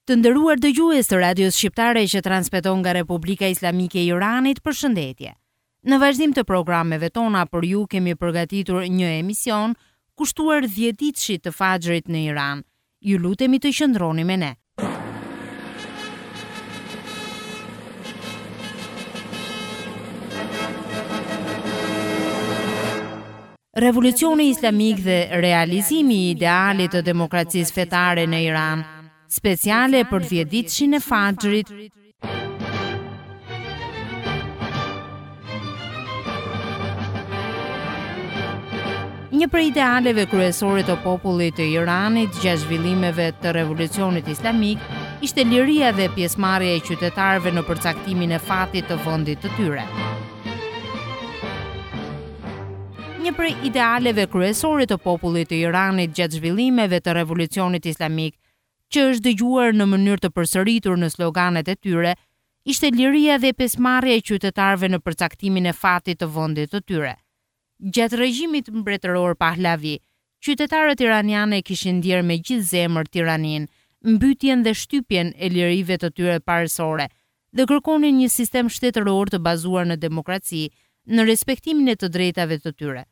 Të nderuar dëgjues të Radios Shqiptare që transmeton nga Republika Islamike e Iranit, përshëndetje. Në vazhdim të programeve tona për ju kemi përgatitur një emision kushtuar dhjetëditëshit të Faxhrit në Iran. Ju lutemi të qëndroni me ne. Revolucioni Islamik dhe realizimi i idealit të demokracisë fetare në Iran, speciale për dhjetëditëshin e Faxhrit. Një prej idealeve kryesore të popullit të Iranit gjatë zhvillimeve të Revolucionit Islamik ishte liria dhe pjesëmarrja e qytetarëve në përcaktimin e fatit të vendit të tyre. Një prej idealeve kryesore të popullit të Iranit gjatë zhvillimeve të Revolucionit Islamik, që është dëgjuar në mënyrë të përsëritur në sloganet e tyre, ishte liria dhe pjesëmarrja e qytetarëve në përcaktimin e fatit të vendit të tyre. Gjatë regjimit mbretëror Pahlavi, qytetarët iranianë e kishin ndjerë me gjithë zemër tiraninë, mbytjen dhe shtypjen e lirive të tyre parësore dhe kërkonin një sistem shtetëror të bazuar në demokraci, në respektimin e të drejtave të tyre.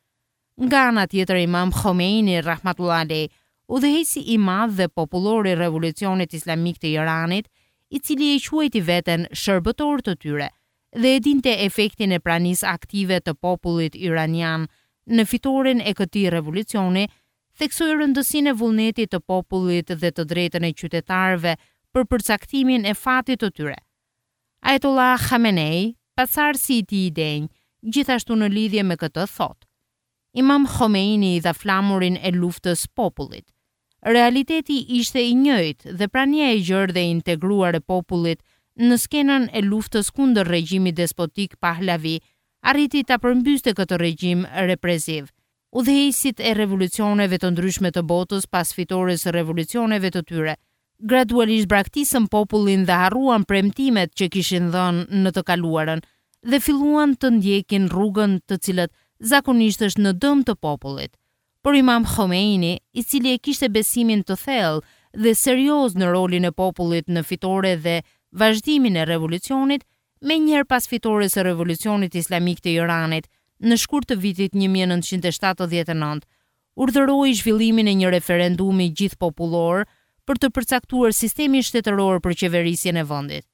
Nga ana tjetër Imam Khomeini, rahmatullah alejh, udhëheqësi i madh dhe popullor i Revolucionit Islamik të Iranit, i cili e quajti veten shërbëtor të tyre dhe e dinte efektin e pranisë aktive të popullit iranian në fitoren e këtij revolucioni, theksoi rëndësinë e vullnetit të popullit dhe të drejtën e qytetarëve për përcaktimin e fatit të tyre. Ayatollah Khamenei, pasardhësi i tij i denjë, gjithashtu në lidhje me këtë thotë, Imam Khomeini i dha flamurin e luftës popullit. Realiteti ishte i njëjtë dhe prania e gjerë dhe e integruar e popullit në skenën e luftës kundër regjimit despotik Pahlavi arriti ta përmbyste këtë regjim represiv Udhëheqësit e revolucioneve të ndryshme të botës pas fitores së revolucioneve të tyre, gradualisht braktisën popullin dhe harruan premtimet që kishin dhënë në të kaluarën dhe filluan të ndjekin rrugën të cilët zakonisht është në dëm të popullit. Por Imam Khomeini, i cili e kishte besimin të thellë dhe serioz në rolin e popullit në fitore dhe vazhdimin e revolucionit, Menjëherë pas fitores së Revolucionit Islamik të Iranit, në shkurt të vitit 1979, urdhëroi zhvillimin e një referendumi gjithëpopullor për të përcaktuar sistemin shtetëror për qeverisjen e vendit.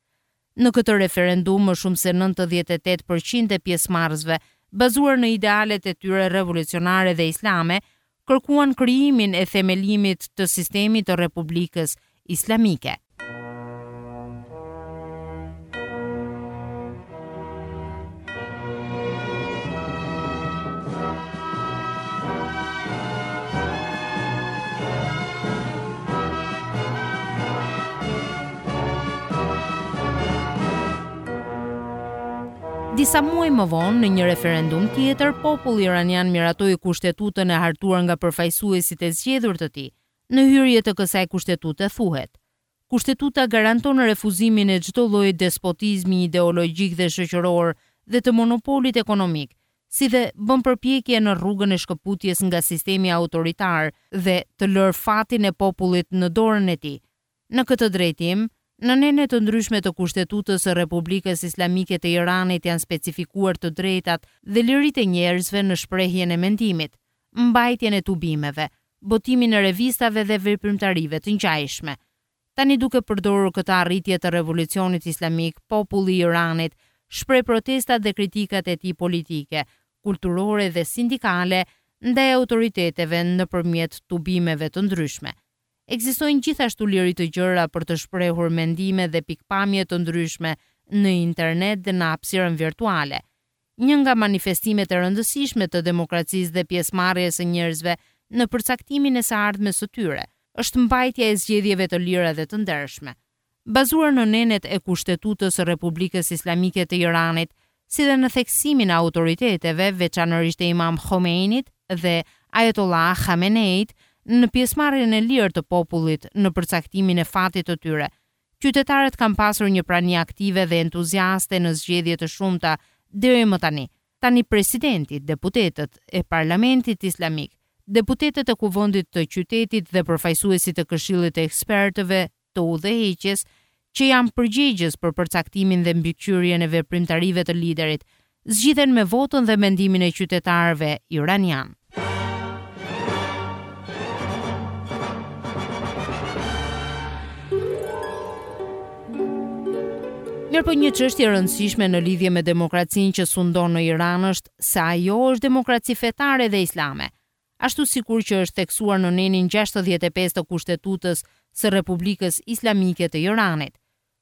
Në këtë referendum më shumë se 98 për qind e pjesëmarrësve, bazuar në idealet e tyre revolucionare dhe islame, kërkuan krijimin e themelimit të sistemit të Republikës Islamike. Disa muaj më vonë, në një referendum tjetër, populli iranian miratoi kushtetutën e hartuar nga përfaqësuesit e zgjedhur të tij. Në hyrje të kësaj kushtetute thuhet, Kushtetuta garanton refuzimin e çdo lloji despotizmi ideologjik dhe shoqëror dhe të monopolit ekonomik, si dhe bën përpjekje në rrugën e shkëputjes nga sistemi autoritar dhe të lërë fatin e popullit në dorën e tij, Në këtë drejtim, në nene të ndryshme të Kushtetutës së Republikës Islamike të Iranit janë specifikuar të drejtat dhe liritë e njerëzve në shprehjen e mendimit, mbajtjen e tubimeve, botimin e revistave dhe veprimtarive të ngjashme. Tani duke përdorur këtë arritje të Revolucionit Islamik, populli i Iranit shpreh protestat dhe kritikat e tij politike, kulturore dhe sindikale ndaj autoriteteve nëpërmjet tubimeve të ndryshme. Ekzistojnë gjithashtu liri të gjera për të shprehur mendime dhe pikëpamje të ndryshme në internet dhe në hapësirën virtuale. Një nga manifestimet e rëndësishme të demokracisë dhe pjesëmarrjes së njerëzve në përcaktimin e së ardhmes së tyre, është mbajtja e zgjedhjeve të lira dhe të ndershme. Bazuar në nenet e Kushtetutës së Republikës Islamike të Iranit, si dhe në theksimin e autoriteteve, veçanërisht të Imam Khomeinit dhe Ayatollah Khameneit, në pjesëmarrjen e lirë të popullit në përcaktimin e fatit të tyre, qytetarët kanë pasur një prani aktive dhe entuziaste në zgjedhje të shumta deri më tani. Tani presidenti, deputetët e Parlamentit Islamik, deputetët e Kuvendit të Qytetit dhe përfaqësuesit e Këshillit të Ekspertëve. të udhëheqjes që janë përgjegjës për përcaktimin dhe mbikëqyrjen e veprimtarive të liderit, zgjidhen me votën dhe mendimin e qytetarëve iranianë. Mirëpo një çështje e rëndësishme në lidhje me demokracinë që sundon në Iran është se ajo është demokraci fetare dhe islame, ashtu sikur që është theksuar në nenin 65 të Kushtetutës së Republikës Islamike të Iranit.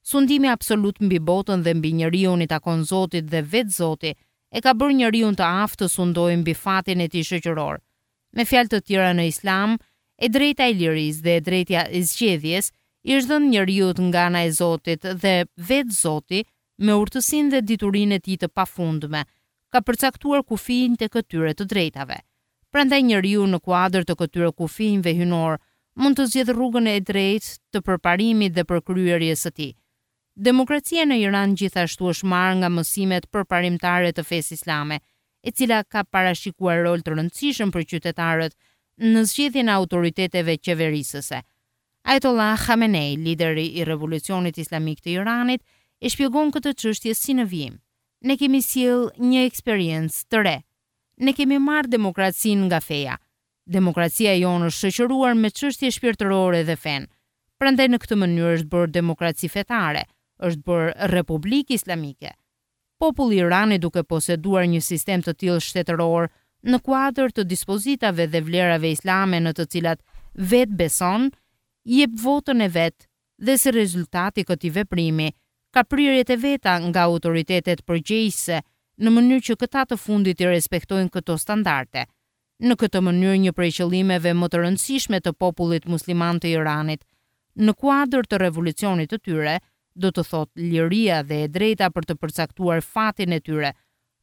Sundimi absolut mbi botën dhe mbi njeriun i takon Zotit dhe vetë Zoti e ka bërë njeriun të aftë të sundojë mbi fatin e tij shoqëror. Me fjalë të tjera në Islam, e drejta e lirisë dhe e drejta e zgjedhjes i është dhënë njeriut nga ana e Zotit dhe vetë Zoti me urtësinë dhe diturinë e tij të pafundme ka përcaktuar kufinjtë e këtyre të drejtave. Prandaj njeriu në kuadër të këtyre kufinjve hyjnorë mund të zgjedhë rrugën e drejtë të përparimit dhe përkryerjes së tij. Demokracia në Iran gjithashtu është marrë nga mësimet përparimtare të fesë islame, e cila ka parashikuar rol të rëndësishëm për qytetarët në zgjedhjen e autoriteteve qeverisëse. Ayatollah Khamenei, lideri i Revolucionit Islamik të Iranit, e shpjegon këtë çështje si në vijim, Ne kemi sjellë një eksperiencë të re. Ne kemi marrë demokracinë nga feja. Demokracia jonë është shoqëruar me çështje shpirtërore dhe fenë. Prandaj në këtë mënyrë është bërë demokraci fetare, është bërë republikë islamike. Populli i Iranit duke poseduar një sistem të tillë shtetëror në kuadër të dispozitave dhe vlerave islame në të cilat vetë beson, jep votën e vet dhe si rezultat i këtij veprimi ka prirjet e veta nga autoritetet përgjegjëse në mënyrë që këta të fundit t'i respektojnë këto standarde. Në këtë mënyrë një prej qëllimeve më të rëndësishme të popullit musliman të Iranit në kuadër të revolucionit të tyre, do të thotë liria dhe e drejta për të përcaktuar fatin e tyre,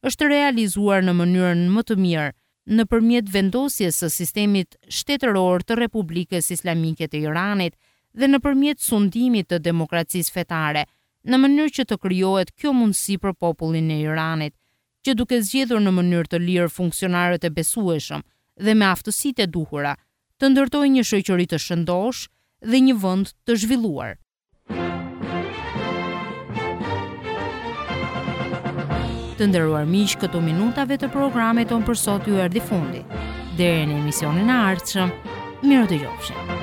është realizuar në mënyrën më të mirë nëpërmjet vendosjes së sistemit shtetëror të Republikës Islamike të Iranit dhe nëpërmjet sundimit të demokracisë fetare, në mënyrë që të krijohet kjo mundësi për popullin e Iranit, që duke zgjedhur në mënyrë të lirë funksionarët e besueshëm dhe me aftësitë e duhura, të ndërtojë një shoqëri të shëndoshë dhe një vend të zhvilluar. Të nderuar miq, këtu minutave të programit tonë për sot ju erdhi fundi. Deri në emisionin e ardhshëm, mirudëgjofshim.